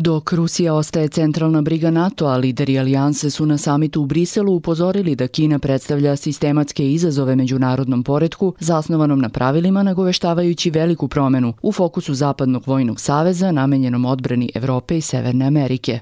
Dok Rusija ostaje centralna briga NATO-a, lideri alijanse su na samitu u Briselu upozorili da Kina predstavlja sistematske izazove međunarodnom poretku zasnovanom na pravilima, nagoveštavajući veliku promenu u fokusu Zapadnog vojnog saveza namenjenom odbrani Evrope i Severne Amerike.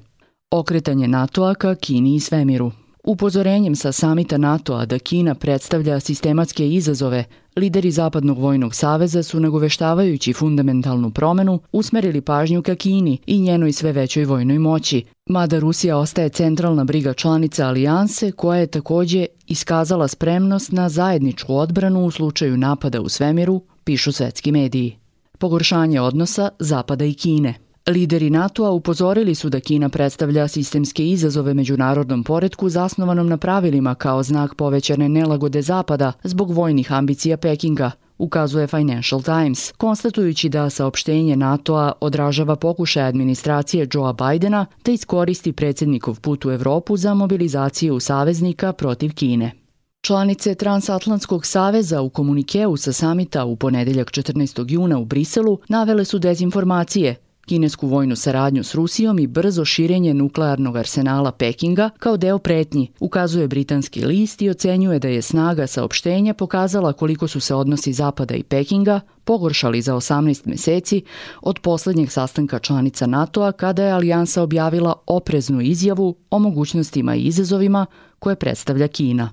Okretanje NATO-a ka Kini i svemiru. Upozorenjem sa samita NATO-a da Kina predstavlja sistematske izazove, lideri Zapadnog vojnog saveza su, nagoveštavajući fundamentalnu promenu, usmerili pažnju ka Kini i njenoj sve većoj vojnoj moći, mada Rusija ostaje centralna briga članica alijanse koja je takođe iskazala spremnost na zajedničku odbranu u slučaju napada u svemiru, pišu svetski mediji. Pogoršanje odnosa Zapada i Kine. Lideri NATO-a upozorili su da Kina predstavlja sistemske izazove međunarodnom poretku zasnovanom na pravilima kao znak povećane nelagode Zapada zbog vojnih ambicija Pekinga, ukazuje Financial Times, konstatujući da saopštenje NATO-a odražava pokušaj administracije Joea Bidena da iskoristi predsjednikov put u Evropu za mobilizaciju saveznika protiv Kine. Članice Transatlantskog saveza u komunikeu sa samita u ponedeljak 14. juna u Briselu navele su dezinformacije, kinesku vojnu saradnju s Rusijom i brzo širenje nuklearnog arsenala Pekinga kao deo pretnji, ukazuje britanski list i ocenjuje da je snaga saopštenja pokazala koliko su se odnosi Zapada i Pekinga pogoršali za 18 meseci od poslednjeg sastanka članica NATO-a kada je alijansa objavila opreznu izjavu o mogućnostima i izazovima koje predstavlja Kina.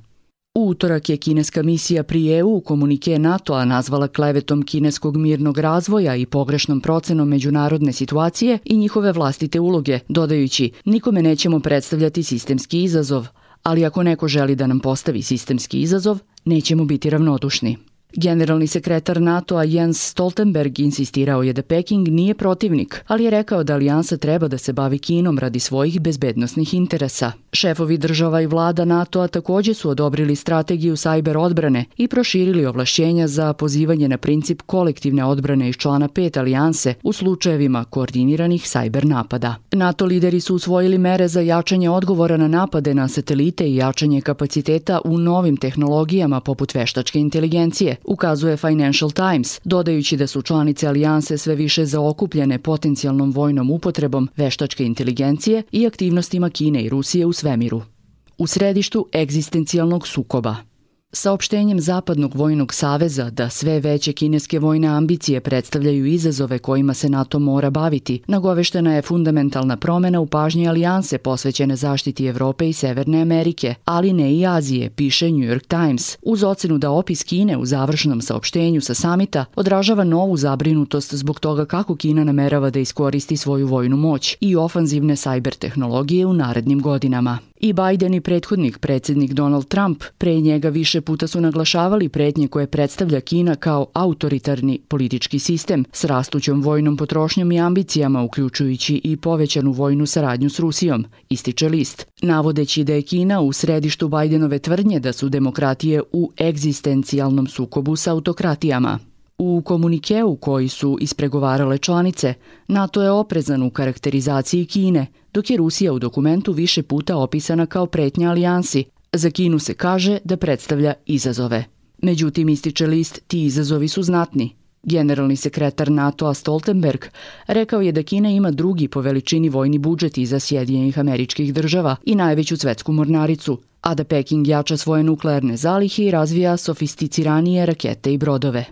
U utorak je kineska misija pri EU komunike NATO-a nazvala klevetom kineskog mirnog razvoja i pogrešnom procenom međunarodne situacije i njihove vlastite uloge, dodajući: nikome nećemo predstavljati sistemski izazov, ali ako neko želi da nam postavi sistemski izazov, nećemo biti ravnodušni. Generalni sekretar NATO-a Jens Stoltenberg insistirao je da Peking nije protivnik, ali je rekao da alijansa treba da se bavi Kinom radi svojih bezbednosnih interesa. Šefovi država i vlada NATO-a takođe su odobrili strategiju sajber odbrane i proširili ovlašćenja za pozivanje na princip kolektivne odbrane iz člana 5 alijanse u slučajevima koordiniranih sajber napada. NATO lideri su usvojili mere za jačanje odgovora na napade na satelite i jačanje kapaciteta u novim tehnologijama poput veštačke inteligencije, ukazuje Financial Times, dodajući da su članice alijanse sve više zaokupljene potencijalnom vojnom upotrebom veštačke inteligencije i aktivnostima Kine i Rusije u svemiru. U središtu egzistencijalnog sukoba. Saopštenjem Zapadnog vojnog saveza da sve veće kineske vojne ambicije predstavljaju izazove kojima se NATO mora baviti, nagoveštena je fundamentalna promena u pažnji alijanse posvećene zaštiti Evrope i Severne Amerike, ali ne i Azije, piše New York Times, uz ocenu da opis Kine u završnom saopštenju sa samita odražava novu zabrinutost zbog toga kako Kina namerava da iskoristi svoju vojnu moć i ofanzivne sajber tehnologije u narednim godinama. I Biden i prethodnik predsjednik Donald Trump pre njega više puta su naglašavali pretnje koje predstavlja Kina kao autoritarni politički sistem s rastućom vojnom potrošnjom i ambicijama, uključujući i povećanu vojnu saradnju s Rusijom, ističe list, navodeći da je Kina u središtu Bidenove tvrdnje da su demokratije u egzistencijalnom sukobu sa autokratijama. U komunikeu koji su ispregovarale članice, NATO je oprezan u karakterizaciji Kine, dok je Rusija u dokumentu više puta opisana kao pretnja alijansi. Za Kinu se kaže da predstavlja izazove. Međutim, ističe list, ti izazovi su znatni. Generalni sekretar NATO-a Stoltenberg rekao je da Kina ima drugi po veličini vojni budžet iza Sjedinjenih Američkih Država i najveću svetsku mornaricu, a da Peking jača svoje nuklearne zalihe i razvija sofisticiranije rakete i brodove.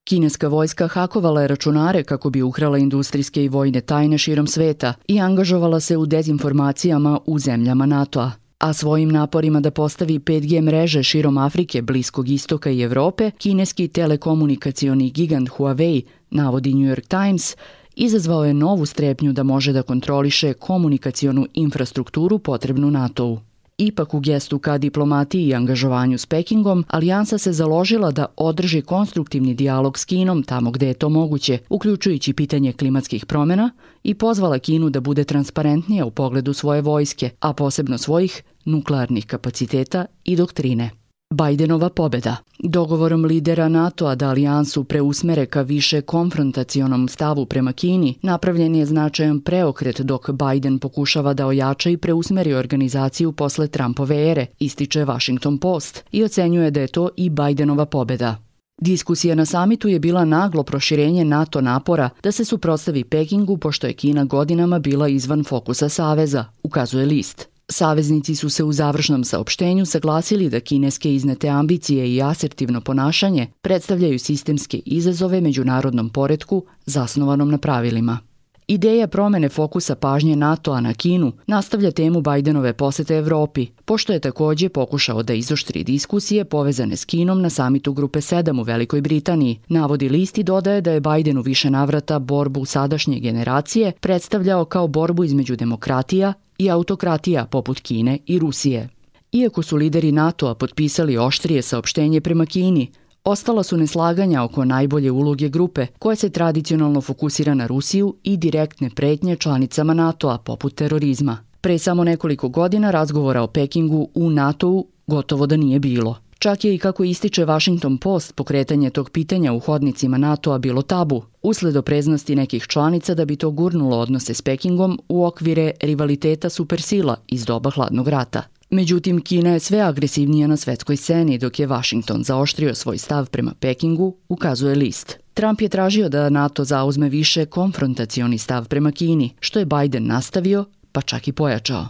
Kineska vojska hakovala je računare kako bi ukrala industrijske i vojne tajne širom sveta i angažovala se u dezinformacijama u zemljama NATO-a. A svojim naporima da postavi 5G mreže širom Afrike, Bliskog istoka i Evrope, kineski telekomunikacioni gigant Huawei, navodi New York Times, izazvao je novu strepnju da može da kontroliše komunikacionu infrastrukturu potrebnu NATO-u. Ipak u gestu ka diplomatiji i angažovanju s Pekingom, alijansa se založila da održi konstruktivni dijalog s Kinom tamo gde je to moguće, uključujući pitanje klimatskih promjena, i pozvala Kinu da bude transparentnija u pogledu svoje vojske, a posebno svojih nuklearnih kapaciteta i doktrine. Bidenova pobeda. Dogovorom lidera NATO-a da alijansu preusmere ka više konfrontacionom stavu prema Kini, napravljen je značajan preokret dok Biden pokušava da ojača i preusmeri organizaciju posle Trumpove ere, ističe Washington Post, i ocenjuje da je to i Bidenova pobeda. Diskusija na samitu je bila naglo proširenje NATO napora da se suprotstavi Pekingu pošto je Kina godinama bila izvan fokusa saveza, ukazuje list. Saveznici su se u završnom saopštenju saglasili da kineske iznete ambicije i asertivno ponašanje predstavljaju sistemske izazove međunarodnom poretku zasnovanom na pravilima. Ideja promene fokusa pažnje NATO-a na Kinu nastavlja temu Bajdenove posete Evropi, pošto je takođe pokušao da izoštri diskusije povezane s Kinom na samitu Grupe 7 u Velikoj Britaniji. Navodi list i dodaje da je Bajden u više navrata borbu sadašnje generacije predstavljao kao borbu između demokratija i autokratija poput Kine i Rusije. Iako su lideri NATO-a potpisali oštrije saopštenje prema Kini, ostala su neslaganja oko najbolje uloge grupe, koja se tradicionalno fokusira na Rusiju i direktne pretnje članicama NATO-a poput terorizma. Pre samo nekoliko godina razgovora o Pekingu u NATO-u gotovo da nije bilo. Čak je i kako ističe Washington Post pokretanje tog pitanja u hodnicima NATO-a bilo tabu, usled opreznosti nekih članica da bi to gurnulo odnose s Pekingom u okvire rivaliteta supersila iz doba hladnog rata. Međutim, Kina je sve agresivnija na svetskoj sceni, dok je Washington zaoštrio svoj stav prema Pekingu, ukazuje list. Trump je tražio da NATO zauzme više konfrontacioni stav prema Kini, što je Biden nastavio, pa čak i pojačao.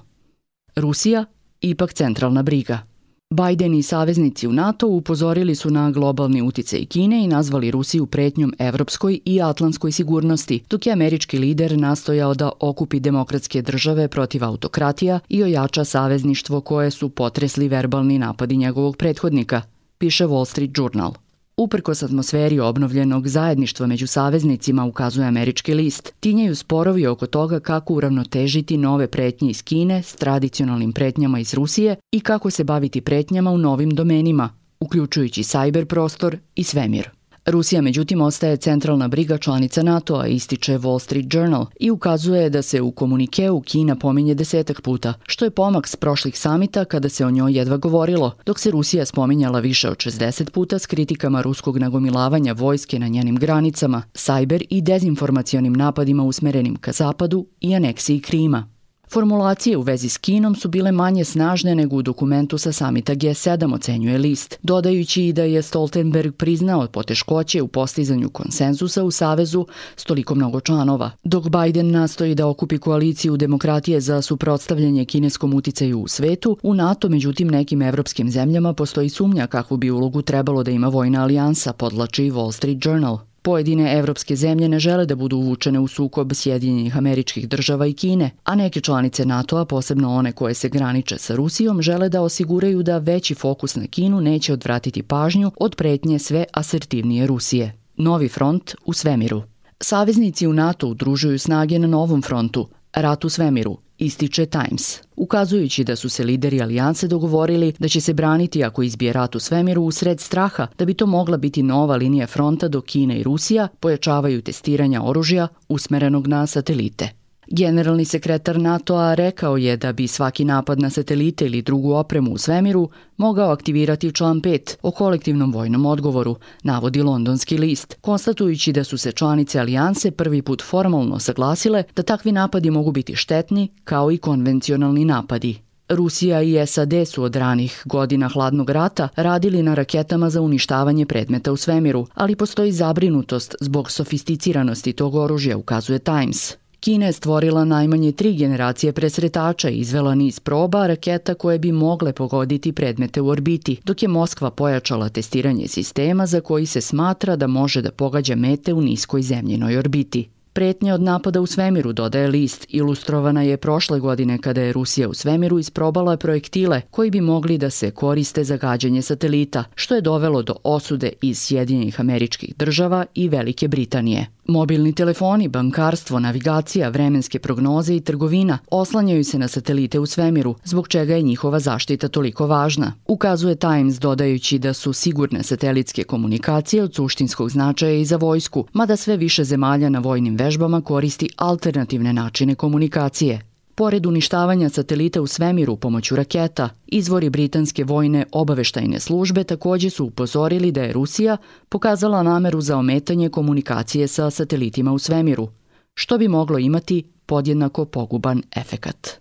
Rusija, ipak centralna briga. Biden i saveznici u NATO upozorili su na globalni uticaj Kine i nazvali Rusiju pretnjom evropskoj i atlantskoj sigurnosti, dok je američki lider nastojao da okupi demokratske države protiv autokratija i ojača savezništvo koje su potresli verbalni napadi njegovog prethodnika, piše Wall Street Journal. Uprkos atmosferi obnovljenog zajedništva među saveznicima, ukazuje američki list, tinjaju sporovi oko toga kako uravnotežiti nove pretnje iz Kine s tradicionalnim pretnjama iz Rusije i kako se baviti pretnjama u novim domenima, uključujući sajber prostor i svemir. Rusija, međutim, ostaje centralna briga članica NATO-a, ističe Wall Street Journal i ukazuje da se u komunikeu Kina pominje 10 puta, što je pomak s prošlih samita kada se o njoj jedva govorilo, dok se Rusija spominjala više od 60 puta s kritikama ruskog nagomilavanja vojske na njenim granicama, sajber i dezinformacionim napadima usmerenim ka zapadu i aneksiji Krima. Formulacije u vezi s Kinom su bile manje snažne nego u dokumentu sa samita G7, ocenjuje list, dodajući i da je Stoltenberg priznao poteškoće u postizanju konsenzusa u savezu s toliko mnogo članova. Dok Biden nastoji da okupi koaliciju demokratije za suprotstavljanje kineskom uticaju u svetu, u NATO međutim nekim evropskim zemljama postoji sumnja kakvu bi ulogu trebalo da ima vojna alijansa, podvlači Wall Street Journal. Pojedine evropske zemlje ne žele da budu uvučene u sukob Sjedinjenih Američkih Država i Kine, a neke članice NATO-a, posebno one koje se graniče sa Rusijom, žele da osiguraju da veći fokus na Kinu neće odvratiti pažnju od pretnje sve asertivnije Rusije. Novi front u svemiru. Saveznici u NATO udružuju snage na novom frontu, rat u svemiru, ističe Times, ukazujući da su se lideri alijanse dogovorili da će se braniti ako izbije rat u svemiru usred straha da bi to mogla biti nova linija fronta dok Kina i Rusija pojačavaju testiranja oružja usmerenog na satelite. Generalni sekretar NATO-a rekao je da bi svaki napad na satelite ili drugu opremu u svemiru mogao aktivirati član 5 o kolektivnom vojnom odgovoru, navodi londonski list, konstatujući da su se članice alijanse prvi put formalno saglasile da takvi napadi mogu biti štetni kao i konvencionalni napadi. Rusija i SAD su od ranih godina hladnog rata radili na raketama za uništavanje predmeta u svemiru, ali postoji zabrinutost zbog sofisticiranosti tog oružja, ukazuje Times. Kina je stvorila najmanje 3 generacije presretača i izvela niz proba raketa koje bi mogle pogoditi predmete u orbiti, dok je Moskva pojačala testiranje sistema za koji se smatra da može da pogađa mete u niskoj zemljinoj orbiti. Pretnja od napada u svemiru, dodaje list, ilustrovana je prošle godine kada je Rusija u svemiru isprobala projektile koji bi mogli da se koriste za gađanje satelita, što je dovelo do osude iz Sjedinjenih Američkih Država i Velike Britanije. Mobilni telefoni, bankarstvo, navigacija, vremenske prognoze i trgovina oslanjaju se na satelite u svemiru, zbog čega je njihova zaštita toliko važna, ukazuje Times, dodajući da su sigurne satelitske komunikacije od suštinskog značaja i za vojsku, mada sve više zemalja na vojnim vežbama koristi alternativne načine komunikacije. Pored uništavanja satelita u svemiru pomoću raketa, izvori britanske vojne obaveštajne službe takođe su upozorili da je Rusija pokazala nameru za ometanje komunikacije sa satelitima u svemiru, što bi moglo imati podjednako poguban efekat.